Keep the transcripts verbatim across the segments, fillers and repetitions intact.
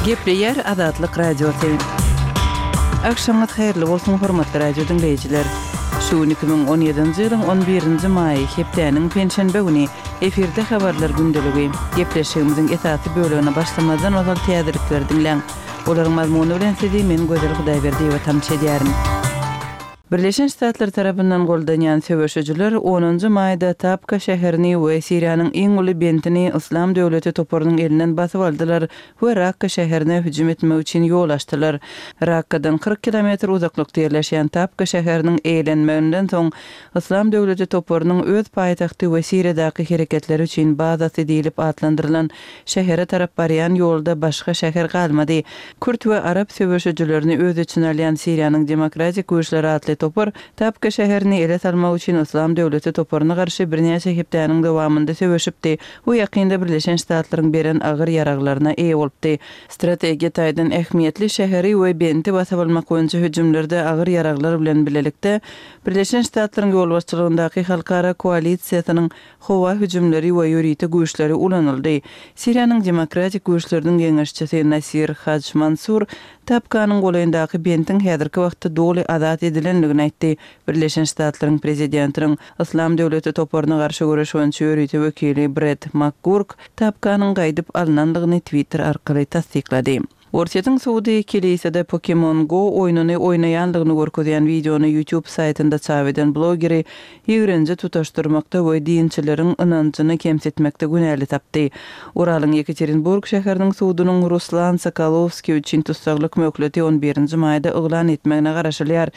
Gepleýär Azatlyk Radiosy. Agşamyňyz haýyrly bolsun, hormatly radio diňleýjiler. Şu gün iki müň on ýedinji ýylyň on birinji maýy, hepdäniň penşenbe güni, efirde habarlar gündeligi. Gepleşigimiziň esasy bölegine başlamazdan ozal täzelikleri diňläň. Olaryň mazmuny bilen sizi men Gözel Hudaýberdiýewa tanyş edýärin. Birleşen Ştatlar tarapyndan goldanýan söweşijiler onunjy maýda Tabka şäherini we Siriýanyň iň uly bentini Yslam döwleti toparynyň elinden basyp aldylar we Rakka şäherine hüjüm etmek üçin ýol açdylar. Rakkadan kyrk kilometr uzaklykda ýerleşýän Tabka şäheriniň eýlenmeginden soň Yslam döwleti toparynyň öz paýtagty we Siriýadaky hereketleri üçin bazasy diýlip atlandyrylan şähere tarap barýan ýolda başga şäher galmady. Kürt we arap söweşijilerini öz içine alýan Siriýanyň Demokratik güýçleri atly topar Tabka şäherini ele salmak üçin Yslam döwleti toparyna garşy birnäçe hepdäniň dowamynda söweşipdi we ýakynda Birleşen Ştatlaryň beren agyr ýaraglaryna eýe bolupdy. Strategiýa taýdan ähmiýetli şäheri we benti basyp almak boýunça hüjümlerde agyr ýaraglar bilen bilelikde Birleşen Ştatlaryň ýolbaşçylygyndaky halkara koalisiýasynyň howa hüjümleri we ýörite güýçleri ulanyldy. Siriýanyň Demokratik güýçleriniň geňeşçisi Nasir Haj Mansur Tabkanyň golaýyndaky bentiň häzirki wagtda doly azat edilendigini aýtdy. Birleşen Ştatlaryň prezidentiniň Yslam döwleti toparyna garşy göreş boýunça ýörite wekili Brett McGurk Tabkanyň gaýdyp alnandygyny Twitter arkaly tassyklady. Orsýetiň sudy Kilisede Pokemon Go oýnuny oýnaýandygyny görkezýän wideony YouTube saýtynda çap eden blogeri ýigrenji tutaşdyrmakda we dinçileriň ynanjyny kemsitmekde günäli tapdy. Uralyň Ýekaterinburg şäheriniň sudunyň Ruslan Sokolowskiý üçin tussaglyk möhleti on birinji maýda yglan etmegine garaşylýar.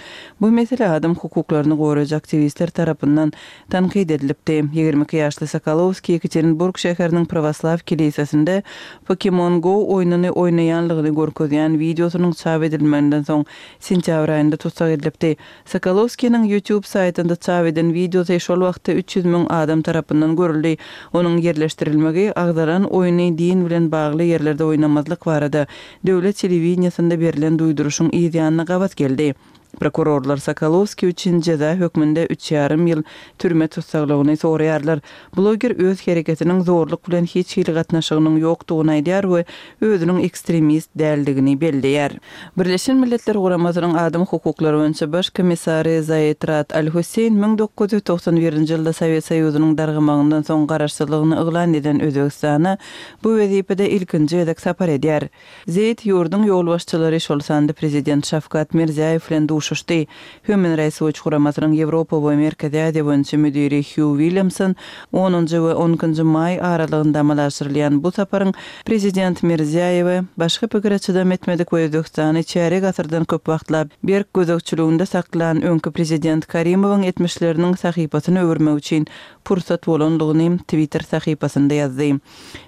Bu mesele adam hukuklaryny goraýjy aktiwistler tarapyndan tankyt edilipdi. Ýigrimi iki ýaşly Sokolowskiý Ýekaterinburg şäheriniň Pravoslav kilisesinde Pokemon Go oýnuny oýnaýanlygyny görkezýän wideosynyň çap edilmeginden soň sentýabr aýynda tussag edilipdi. Sokolowskiniň YouTube saýtynda çap eden wideosy şol wagtda üç ýüz müň adam tarapyndan görüldi. Onuň ýerleşdirilmegi agzalan oýny din bilen bagly ýerlerde oýnamazlyk barada döwlet telewideniýasynda berlen duýduryşyň yz ýanyna gabat geldi. Prokurorlar Sokolowskiý üçin jeza hökmünde üç ýarym ýyl türme tussaglygyny soraýarlar. Bloger öz hereketiniň zorluk bilen hiç hili gatnaşygynyň ýokdugyny aýdýar we özüniň ekstremist däldigini belleýär. Birleşen Milletler Guramasynyň adam hukuklary boýunça baş komissary Zaid Rad Al-Hussein müň dokuz ýüz togsan birinji ýylda Sowet Soýuzynyň dargamagyndan soň garaşsyzlygyny yglan eden Özbegistana bu wezipede ilkinji gezek sapar edýär. Zeid ýurduň ýolbaşçylary, şol sanda prezident Şawkat Mirziýaýew bilen duşuşdy. Human Rights Watch guramasynyň Ýewropa we Merkezi Aziýa boýunça müdiri Hugh Williamson onunjy we on ikinji maý aralygynda amala aşyrylýan bu saparyň prezident Mirziýaýewe başga pikire çydam etmedik we Özbegistany çärýek asyrdan köp wagtlap berk gözegçiliginde saklan öňki prezident Karimowyň etmişleriniň sahypasyny öwürmek üçin pursat bolandygyny Twitter sahypasynda ýazdy.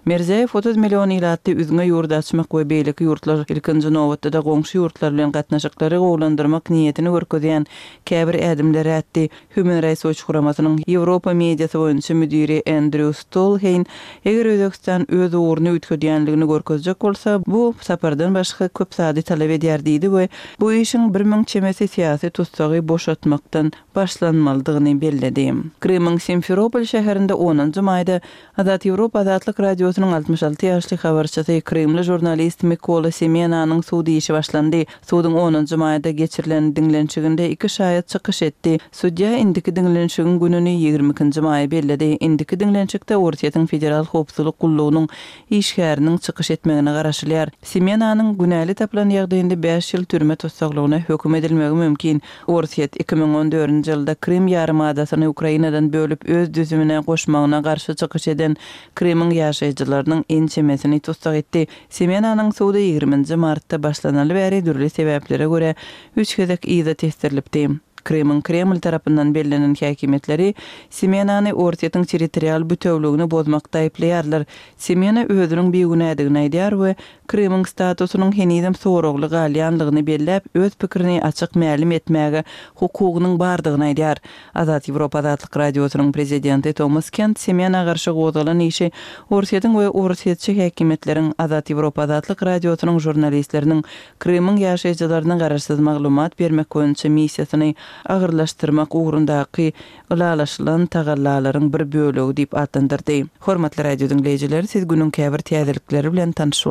Mirziýaýew otuz million ilatly üzňe ýurt açmak we beýleki ýurtlar ilkinji nobatda goňşy ýurtlar bilen gatnaşyklary gowulandyrmak niýetini görkezýän käbir ädimler ätdi. Human Rights Watch guramasynyň Ýewropa mediasy boýunça müdiri Andrew Stolhein eger Özbegistan öz ugruny üýtgedýänligini görkezjek bolsa, bu sapardan başga köp zady talap edýär diýdi we bu işiň bir müň çemesi syýasy tutsagy boşatmakdan başlanmalydygyny belledi. Krymyň Simferopol şäherinde onunjy maýda Azat Ýewropa Azatlyk Radiosynyň altmyş alty ýaşly habarçysy Krymly žurnalist Mikola Semenanyň sud işi başlandy. Suduň onunjy maýda geçirilen diňlenişiginde iki şaýat çykyş etdi. Sudýa indiki diňlenişigiň gününi ýigrimi ikinji maýa belledi. Indiki diňlenişikde Orsýetiň Federal Howpsuzlyk gullugynyň işgäriniň çykyş etmegine garaşylýar. Semenanyň günäli tapylan ýagdaýynda bäş ýyl türme tussaglygyna höküm edilmegi mümkin. Orsýet iki müň on dördünji ýylda Krym ýarymadasyny Ukrainadan bölüp öz düzümine goşmagyna garşy çykyş eden Krymyň ýaşaýjylarynyň ençemesini tussag etdi. Semenanyň sudy ýigriminji martda başlanaly bäri dürli sebäplere görä üç gezek yza tesdirilipdi. Krymyň Kreml tarapyndan bellenen häkimiýetleri Semenany Orsýetiň territorial bütewligini bozmakda aýyplaýarlar. Semena özüniň bigünädigini aýdýar we Krymyň statusynyň henizem soragly galýanlygyny belläp, öz pikirini açyk mälim etmäge hukugynyň bardygyny aýdýar. Azat Ýewropa Azatlyk Radiosynyň prezidenti Thomas Kent Semena garşy gozgalan işi Orsýetiň we Orsýetçi häkimiýetleriň Azat Ýewropa Azatlyk Radiosynyň žurnalistleriniň Krymyň ýaşaýjylaryna garaşsyz maglumat bermek boýunça missiýasyny agyrlaşdyrmak ugrundaky ylalaşylan tagallalaryň bir bölegi diýip atlandyrdy. Hormatly radio diňleýjiler, siz günüň käbir täzelikleri bilen tanyş